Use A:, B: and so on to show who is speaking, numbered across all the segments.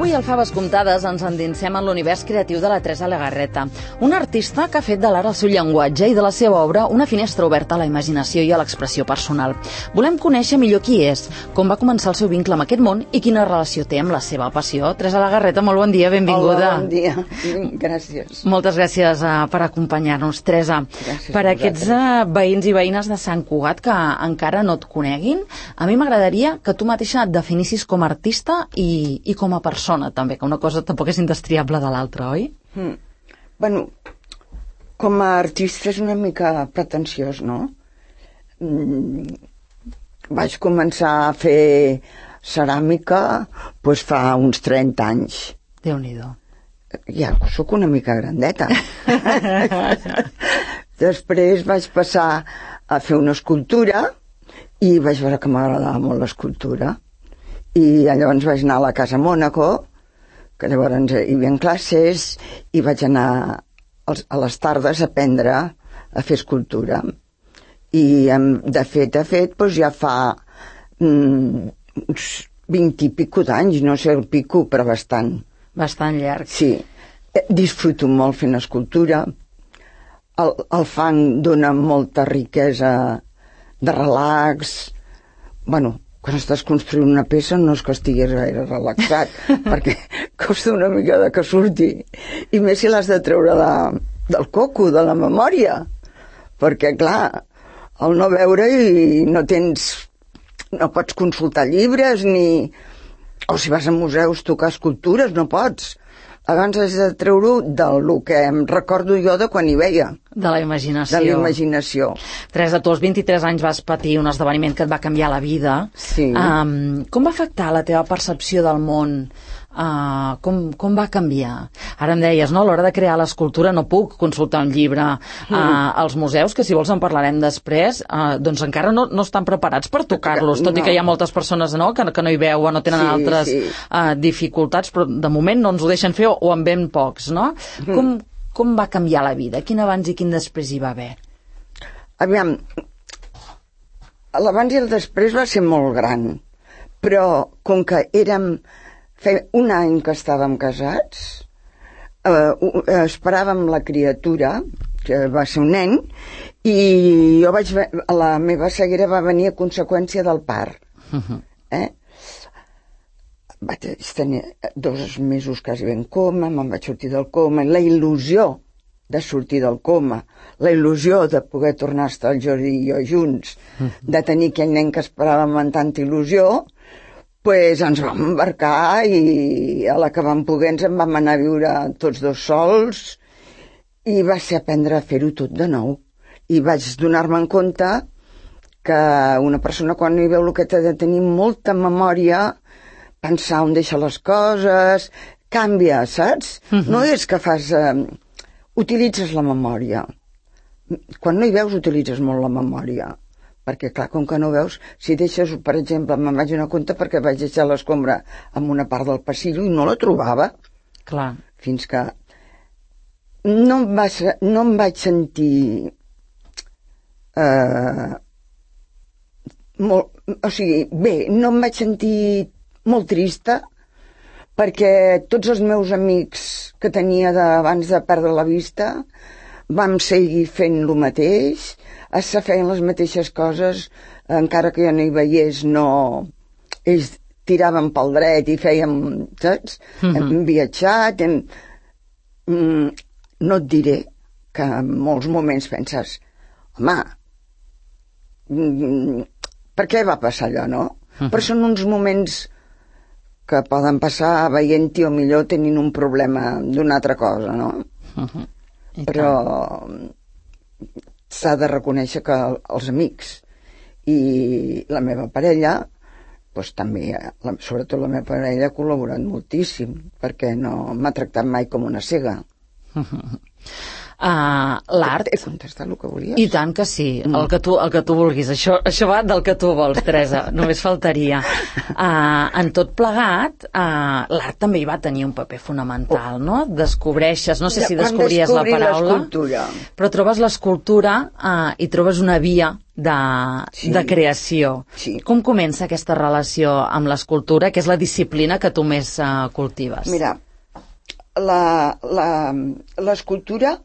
A: Avui, al Faves Comptades, ens endinsem en l'univers creatiu de la Teresa Legarreta, una artista que ha fet de l'art el seu llenguatge i de la seva obra una finestra oberta a la imaginació i a l'expressió personal. Volem conèixer millor qui és, com va començar el seu vincle amb aquest món i quina relació té amb la seva passió. Teresa Legarreta, molt bon dia, benvinguda.
B: Hola, bon dia. Gràcies.
A: Moltes gràcies per acompanyar-nos, Teresa.
B: Gràcies
A: per aquests veïns i veïnes de Sant Cugat que encara no et coneguin, a mi m'agradaria que tu mateixa et definissis com a artista i com a persona, també, que una cosa tampoc és indestriable de l'altra, oi?
B: Bueno, com a artista és una mica pretensiós, no? Vaig començar a fer ceràmica doncs fa uns 30 anys.
A: Déu-n'hi-do.
B: Ja sóc una mica grandeta. Després vaig passar a fer una escultura i vaig veure que m'agradava molt l'escultura. I llavors vaig anar a la Casa Mònaco, que llavors hi havia classes, i vaig anar a les tardes a aprendre a fer escultura. I de fet, doncs ja fa uns 20 i pico d'anys, no sé el pico, però bastant.
A: Bastant llarg.
B: Sí. Disfruto molt fent escultura. El fang dona molta riquesa de relax. Bueno, quan estàs construint una peça no és que estigués gaire relaxat, perquè costa una mica de que surti. I més si l'has de treure del coco, de la memòria. Perquè, clar, al no veure i no pots consultar llibres, o si vas a museus tocar escultures, no pots. Abans has de treure-ho del que em recordo jo de quan hi veia.
A: De la imaginació.
B: De la imaginació.
A: Teresa, tu als 23 anys vas patir un esdeveniment que et va canviar la vida.
B: Sí.
A: Com va afectar la teva percepció del món? Com va canviar? Ara em deies, no? A l'hora de crear l'escultura no puc consultar un llibre. Els museus, que si vols en parlarem després, doncs encara no estan preparats per tocar-los, tot i que hi ha moltes persones que no hi veuen, no tenen altres dificultats, però de moment no ens ho deixen fer o en ben pocs, no? Com va canviar la vida? Quin abans i quin després hi va haver?
B: Aviam, l'abans i el després va ser molt gran, però com que feia un any que estàvem casats, esperàvem la criatura, que va ser un nen, i la meva ceguera va venir a conseqüència del part. Vaig tenir 2 mesos quasi ben coma, me'n vaig sortir del coma, la il·lusió de sortir del coma, la il·lusió de poder tornar a estar el Jordi i jo junts, de tenir aquell nen que esperàvem amb tanta il·lusió, doncs ens vam embarcar i a la que vam poder ens en vam anar a viure tots dos sols i va ser aprendre a fer-ho tot de nou. I vaig donar-me en compte que una persona quan hi veu el que t'ha de tenir molta memòria, pensar on deixa les coses, canvia, saps? No és que utilitzes la memòria. Quan no hi veus utilitzes molt la memòria. Perquè, clar, com que no veus, si deixes, per exemple, me'n vaig donar compte perquè vaig deixar l'escombra en una part del passillo i no la trobava.
A: Clar.
B: Fins que no em vaig sentir no em vaig sentir molt trista perquè tots els meus amics que tenia abans de perdre la vista vam seguir fent el mateix, es feien les mateixes coses, encara que jo no hi veiés, ells tiraven pel dret i fèiem, saps? Hem viatjat, no et diré que en molts moments penses, home, per què va passar allò, no? Però són uns moments que poden passar veient-hi o millor tenint un problema d'una altra cosa, no? Però s'ha de reconèixer que els amics i la meva parella, doncs també, sobretot la meva parella, ha col·laborat moltíssim, perquè no m'ha tractat mai com una cega.
A: L'art...
B: He contestat el que volies?
A: I tant que sí, el que tu vulguis. Això va del que tu vols, Teresa, només faltaria. En tot plegat, l'art també hi va tenir un paper fonamental, no? Descobreixes, no sé si descobries la paraula, però trobes l'escultura i trobes una via de creació.
B: Sí.
A: Com comença aquesta relació amb l'escultura, que és la disciplina que tu més cultives?
B: Mira, l'escultura,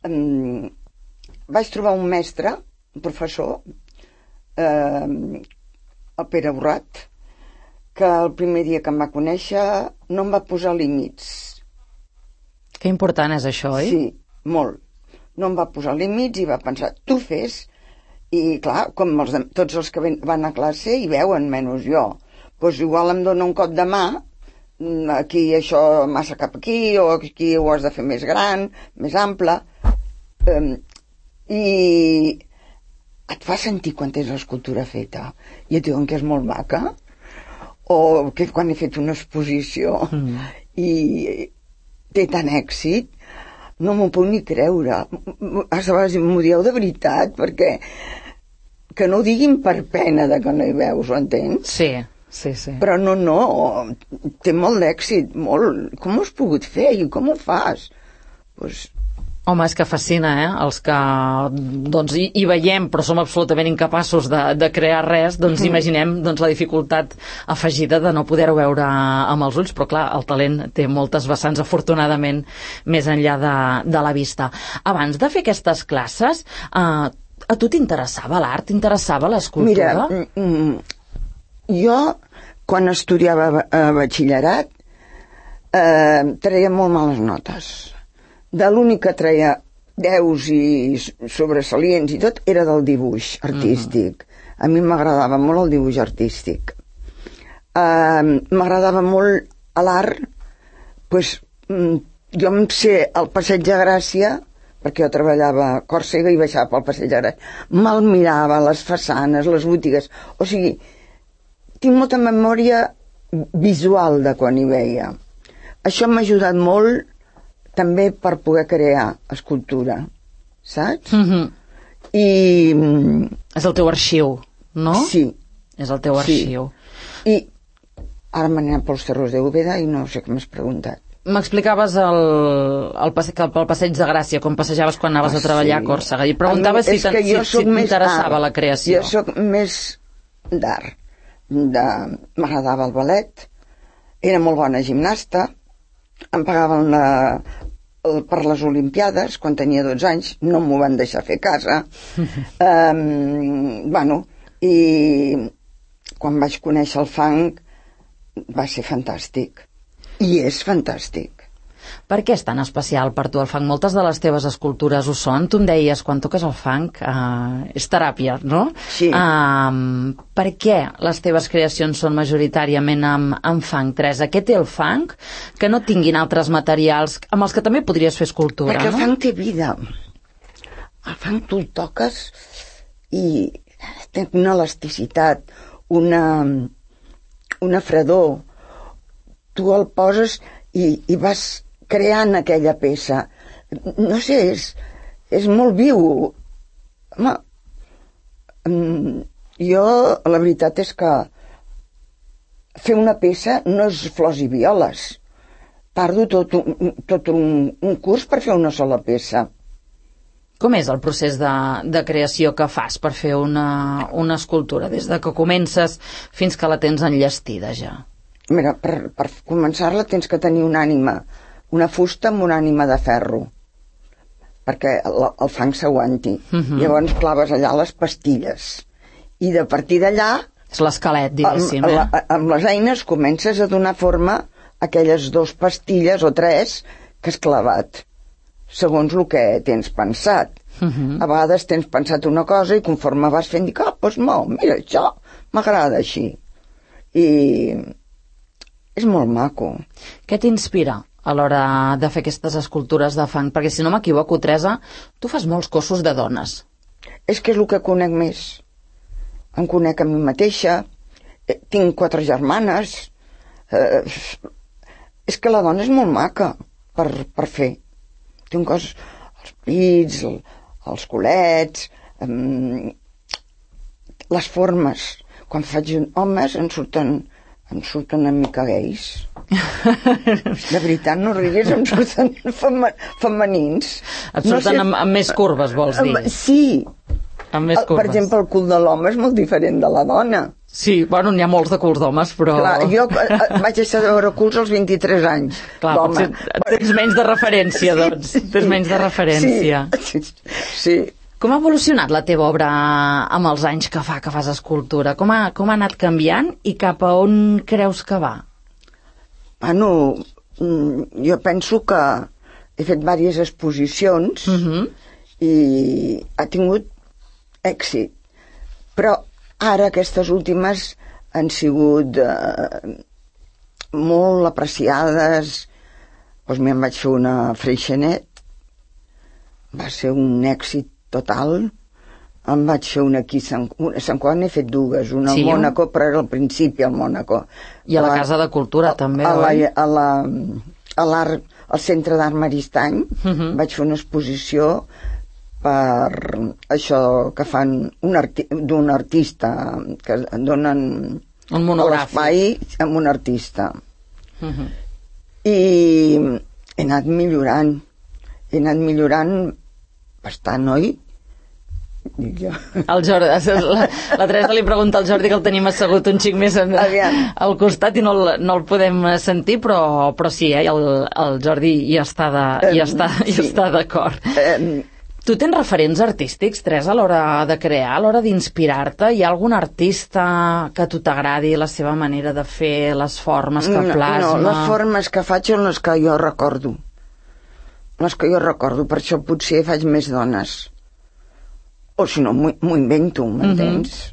B: vaig trobar un mestre, un professor, el Pere Borrat, que el primer dia que em va conèixer no em va posar límits.
A: Que important és això, oi?
B: Sí, molt. No em va posar límits i va pensar, tu fes. I clar, com tots els que van a classe hi veuen, menys jo. Doncs igual em dona un cop de mà, aquí això massa cap aquí, o aquí ho has de fer més gran, més ample, i et fa sentir quan tens l'escultura feta i et diuen que és molt maca, o que quan he fet una exposició i té tant èxit, no m'ho puc ni creure. A vegades m'ho dieu de veritat, perquè que no ho diguin per pena de que no hi veus, ho entens?
A: Sí.
B: Però no, té molt d'èxit, molt. Com ho has pogut fer i com ho fas?
A: Home, és que fascina, els que doncs, hi veiem però som absolutament incapaços de crear res, doncs imaginem la dificultat afegida de no poder-ho veure amb els ulls, però clar, el talent té moltes vessants, afortunadament, més enllà de la vista. Abans de fer aquestes classes, a tu t'interessava l'art? T'interessava l'escultura?
B: Mira, jo, quan estudiava a batxillerat, treia molt males notes. De l'únic que treia 10 i sobresalients i tot era del dibuix artístic. A mi m'agradava molt el dibuix artístic. M'agradava molt l'art. Jo em sé el Passeig de Gràcia, perquè jo treballava a Còrsega i baixava pel Passeig de Gràcia. Me'l mirava, les façanes, les botigues. O sigui, tinc molta memòria visual de quan hi veia. Això m'ha ajudat molt també per poder crear escultura, saps? I...
A: És el teu arxiu, no?
B: Sí.
A: És el teu arxiu.
B: I ara m'he anat pels terrors de Úbeda i no sé què m'has preguntat.
A: M'explicaves pel Passeig de Gràcia, com passejaves quan anaves a treballar a Còrsega, i preguntaves si t'interessava la creació.
B: Jo soc més d'art. M'agradava el ballet, era molt bona gimnasta, em pagaven per les Olimpiades quan tenia 12 anys, no m'ho van deixar fer a casa. I quan vaig conèixer el funk va ser fantàstic, i és fantàstic.
A: Per què és tan especial per tu el funk? Moltes de les teves escultures ho són. Tu em deies, quan toques el funk és teràpia, no?
B: Sí.
A: Per què les teves creacions són majoritàriament amb funk, Teresa? Què té el funk que no tinguin altres materials amb els que també podries fer escultura?
B: Perquè el funk té vida. El funk tu el toques i té una elasticitat, una fredor. Tu el poses i vas creant aquella peça. No sé, és molt viu. Home, jo, la veritat és que fer una peça no és flors i violes. Tardo tot un curs per fer una sola peça.
A: Com és el procés de creació que fas per fer una escultura, des de que comences fins que la tens enllestida ja?
B: Mira, per començar-la tens que tenir una ànima, una fusta amb una ànima de ferro, perquè el fang s'aguanti. Llavors claves allà les pastilles i de partir d'allà...
A: És l'esquelet, diguéssim.
B: Amb les eines comences a donar forma a aquelles 2 pastilles o 3 que has clavat, segons el que tens pensat. A vegades tens pensat una cosa i conforme vas fent dic, doncs mira, això m'agrada així. I és molt maco.
A: Què t'inspira a l'hora de fer aquestes escultures de fang? Perquè si no m'equivoco, Teresa, tu fas molts cossos de dones.
B: És que és el que conec més. Em conec a mi mateixa, tinc 4 germanes. És que la dona és molt maca per fer. Té un cos... pits, els culets, les formes. Quan faig homes em surten una mica gais. De veritat, no riguis, em surten femenins.
A: Et surten amb més curves, vols dir?
B: Sí.
A: Amb més curves.
B: Per exemple, el cul de l'home és molt diferent de la dona.
A: Sí, bueno, n'hi ha molts de culs d'homes, però...
B: Clar, jo vaig deixar de veure culs als 23 anys.
A: Clar, potser tens menys de referència, doncs. Tens menys de referència.
B: Sí.
A: Com ha evolucionat la teva obra amb els anys que fas escultura? Com ha anat canviant i cap a on creus que va?
B: Bueno, jo penso que he fet diverses exposicions i ha tingut èxit. Però ara aquestes últimes han sigut molt apreciades. Doncs me'n vaig fer una Freixenet, va ser un èxit total. Em vaig fer una aquí a Sant Juan, he fet dues, una al Mònaco, però era al principi al Mònaco.
A: I a la Casa de Cultura també, oi?
B: Al Centre d'Art Maristany vaig fer una exposició per això que fan d'un artista, que donen l'espai amb un artista. I he anat millorant bastant, oi?
A: El Jordi, la Teresa li pregunta al Jordi, que el tenim assegut un xic més al costat i no el podem sentir, però sí, el Jordi hi està d'acord. Tu tens referents artístics, Teresa, a l'hora de crear, a l'hora d'inspirar-te? Hi ha algun artista que a tu t'agradi, la seva manera de fer, les formes que plasma?
B: No, les formes que faig són les que jo recordo. Les que jo recordo, per això potser faig més dones. O si no, m'ho invento, m'entens?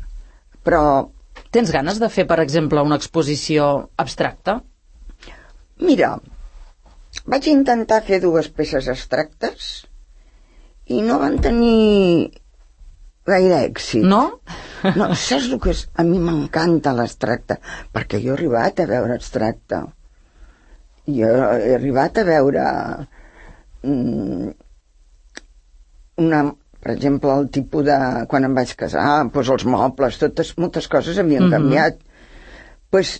B: Però...
A: Tens ganes de fer, per exemple, una exposició abstracta?
B: Mira, vaig intentar fer dues peces abstractes i no van tenir gaire èxit.
A: No?
B: No, saps el que és? A mi m'encanta l'abstracte, perquè jo he arribat a veure abstracte. Jo he arribat a veure per exemple, el tipus de... Quan em vaig casar, doncs els mobles, moltes coses havien canviat. Doncs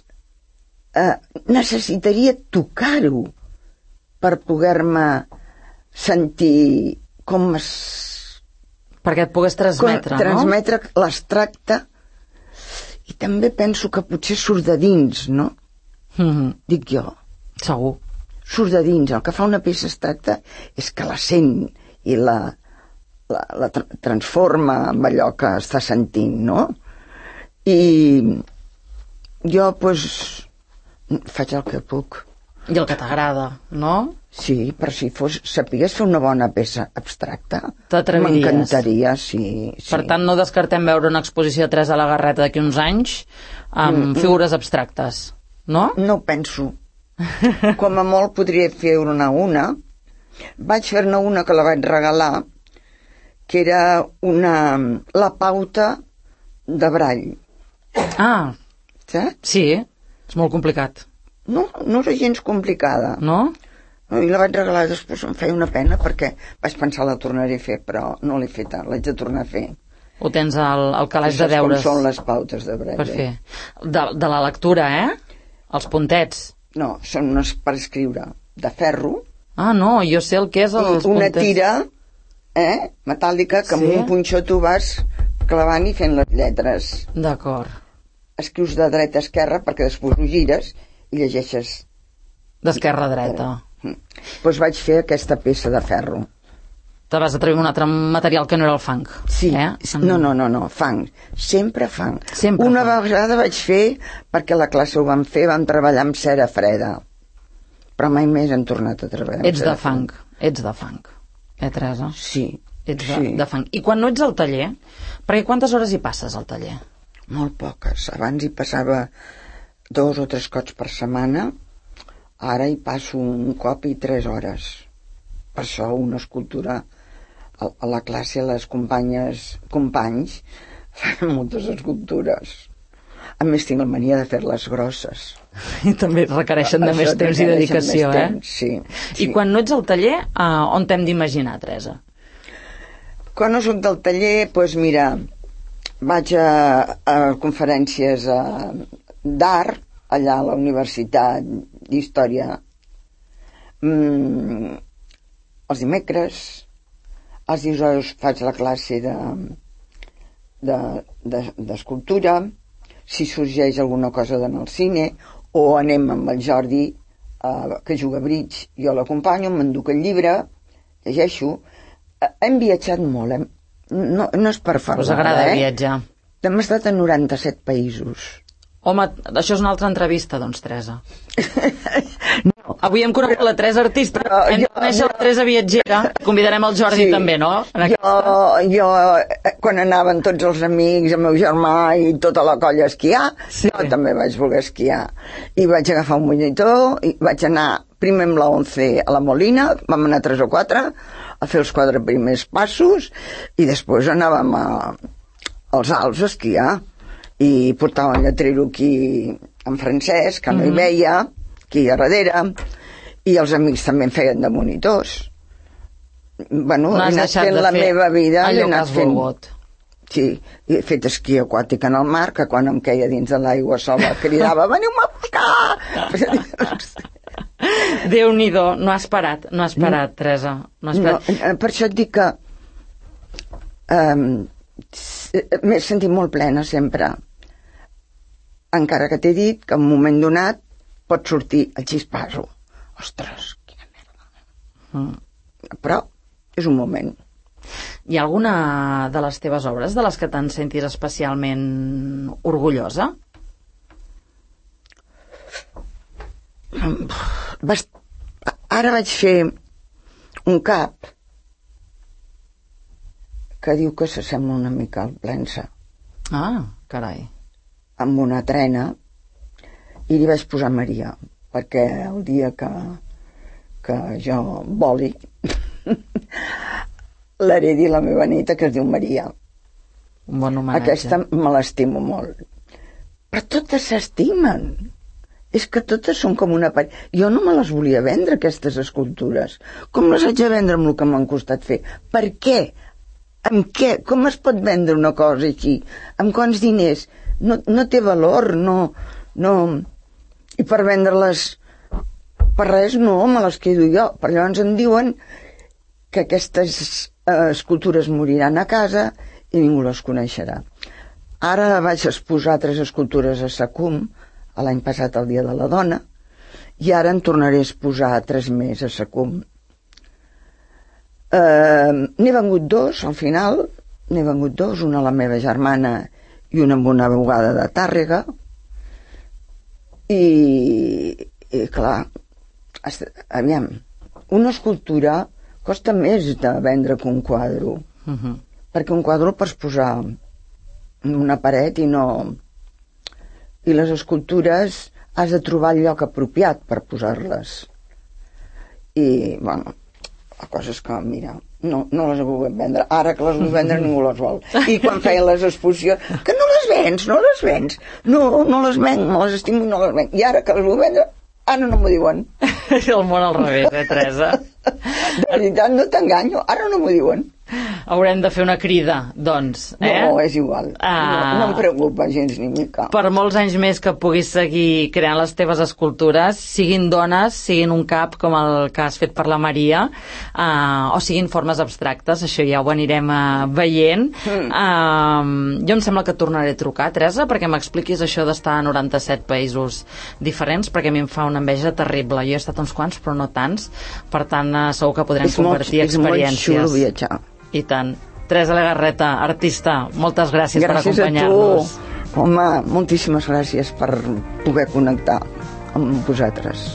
B: necessitaria tocar-ho per poder-me sentir com es...
A: Perquè et pogués transmetre, no?
B: Transmetre l'abstracte, i també penso que potser surt de dins, no? Dic jo.
A: Segur.
B: Surt de dins. El que fa una peça abstracta és que la sent i la transforma amb allò que està sentint, no? I jo, doncs, faig el que puc.
A: I el que t'agrada, no?
B: Sí, però si sapigués fer una bona peça abstracta,
A: t'atreviries?
B: M'encantaria, sí.
A: Per tant, no descartem veure una exposició de Teresa Legarreta d'aquí uns anys amb figures abstractes, no? No
B: ho penso. Com a molt podria fer-ne una. Vaig fer-ne una que la vaig regalar, que era la pauta de Braille.
A: Ah,
B: saps?
A: Sí, és molt complicat.
B: No era gens complicada.
A: No?
B: I la vaig regalar, després em feia una pena perquè vaig pensar la tornaré a fer, però no l'he feta, l'haig de tornar a fer.
A: Ho tens al calaix de deures.
B: Com són les pautes de Braille.
A: Per fer. De la lectura, Els puntets.
B: No, són unes per escriure, de ferro.
A: Ah, no, jo sé el que és els puntets.
B: Una tira, metàl·lica, que amb un punxó tu vas clavant i fent les lletres.
A: D'acord.
B: Escrius de dreta a esquerra perquè després ho gires i llegeixes
A: d'esquerra a dreta.
B: Doncs vaig fer aquesta peça de ferro.
A: Te vas atrevir un altre material que no era el fang.
B: Sí, no, fang. Sempre fang. Una vegada vaig fer, perquè a la classe ho vam fer, vam treballar amb cera freda. Però mai més hem tornat a treballar amb cera freda.
A: Ets de fang. Teresa?
B: Sí.
A: Ets de fang. I quan no ets al taller, perquè quantes hores hi passes al taller?
B: Molt poques. Abans hi passava 2 o 3 cops per setmana, ara hi passo un cop i 3 hores. Per això una escultura a la classe, les companys fan moltes escultures. A més, tinc la mania de fer-les grosses.
A: I també requereixen de més temps i dedicació,
B: Sí.
A: I quan no ets al taller, on t'hem d'imaginar, Teresa?
B: Quan no soc del taller, doncs mira, vaig a conferències d'art, allà a la Universitat d'Història, els dimecres, els dijous faig la classe d'escultura, si sorgeix alguna cosa d'anar al cine, o anem amb el Jordi, que juga a bridge, jo l'acompanyo, m'enduc el llibre, llegeixo. Hem viatjat molt, no és per parlar.
A: Us agrada viatjar?
B: Hem estat a 97 països.
A: Home, això és una altra entrevista, doncs, Teresa. No. Avui hem conegut la Teresa artista, hem de conèixer la Teresa viatgera, convidarem el Jordi també, no?
B: Jo, quan anaven tots els amics, el meu germà i tota la colla a esquiar, jo també vaig voler esquiar. I vaig agafar un monitor, i vaig anar primer amb la 11 a la Molina, vam anar 3 o 4, a fer els 4 primers passos, i després anàvem als Alps a esquiar. I portava el lletrero aquí en francès, que no hi veia, aquí a darrere, i els amics també em feien de monitors. Bueno, he anat fent la meva vida,
A: allò que has volgut.
B: Sí, he fet esquí aquàtic en el mar, que quan em queia dins de l'aigua sola cridava, veniu-me a buscar!
A: Déu-n'hi-do, no has parat, Teresa. No has parat.
B: No, per això et dic que m'he sentit molt plena sempre. Encara que t'he dit que en un moment donat pot sortir el xispasso. Ostres, quina merda. Però és un moment.
A: Hi ha alguna de les teves obres de les que te'n sentis especialment orgullosa?
B: Ara vaig fer un cap que diu que s'assembla una mica al Plensa.
A: Ah, carai.
B: Amb una trena, i li vaig posar Maria, perquè el dia que jo voli l'heredi la meva neta, que es diu Maria.
A: Un bon homenatge.
B: Aquesta me l'estimo molt. Però totes s'estimen. És que totes són com una parella. Jo no me les volia vendre, aquestes escultures. Com les haig de vendre amb el que m'han costat fer? Per què? Amb què? Com es pot vendre una cosa així? Amb quants diners? No té valor, no. I per vendre-les per res no, me les quedo jo. Per llavors em diuen que aquestes escultures moriran a casa i ningú les coneixerà. Ara vaig exposar 3 escultures a Sacum, l'any passat el Dia de la Dona, i ara en tornaré a exposar 3 més a Sacum. N'he vengut 2 al final, una a la meva germana i una amb una abogada de Tàrrega, i clar, aviam, una escultura costa més de vendre que un quadre, perquè un quadre el pots posar en una paret i les escultures has de trobar el lloc apropiat per posar-les. I, bueno, la cosa és que, mira, no les vull vendre. Ara que les vull vendre ningú les vol. I quan feien les exposicions, que no les vens. No les venc, me les estimo i no les venc. I ara que les vull vendre, ara no m'ho diuen.
A: El món al revés, Teresa?
B: De veritat, no t'enganyo, ara no m'ho diuen.
A: Haurem de fer una crida, doncs.
B: No, és igual. No em preocupa gens ni mica.
A: Per molts anys més que puguis seguir creant les teves escultures, siguin dones, siguin un cap com el que has fet per la Maria, o siguin formes abstractes, això ja ho anirem veient. Jo em sembla que tornaré a trucar, Teresa, perquè m'expliquis això d'estar a 97 països diferents, perquè a mi em fa una enveja terrible. Jo he estat uns quants, però no tants. Per tant, segur que podrem compartir experiències.
B: És molt xulo viatjar.
A: I tant. Teresa Legarreta, artista, moltes gràcies per acompanyar-nos.
B: Gràcies a tu. Home, moltíssimes gràcies per poder connectar amb vosaltres.